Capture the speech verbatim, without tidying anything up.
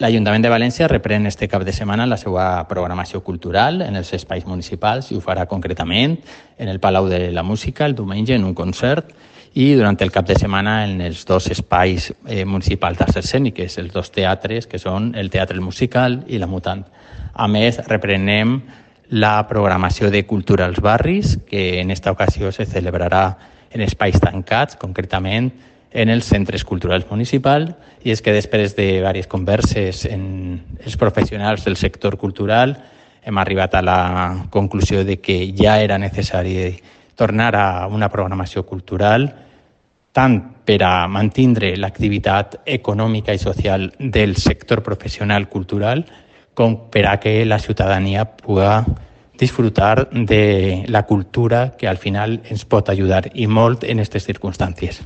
L'Ajuntament de València reprèn este cap de setmana la seva programació cultural en els espais municipals i ho farà concretament en el Palau de la Música el diumenge en un concert i durant el cap de setmana en els dos espais eh, municipals d'arts escèniques, els dos teatres que són el Teatre Musical i la Mutant. A més, reprenem la programació de Cultura als Barris, que en esta ocasió se celebrarà en espais tancats, concretament en els centres culturals municipals, i és que després de diverses converses en els professionals del sector cultural hem arribat a la conclusió de que ja era necessari tornar a una programació cultural tant per a mantindre l'activitat econòmica i social del sector professional cultural com per a que la ciutadania pugui disfrutar de la cultura que al final ens pot ajudar i molt en aquestes circumstàncies.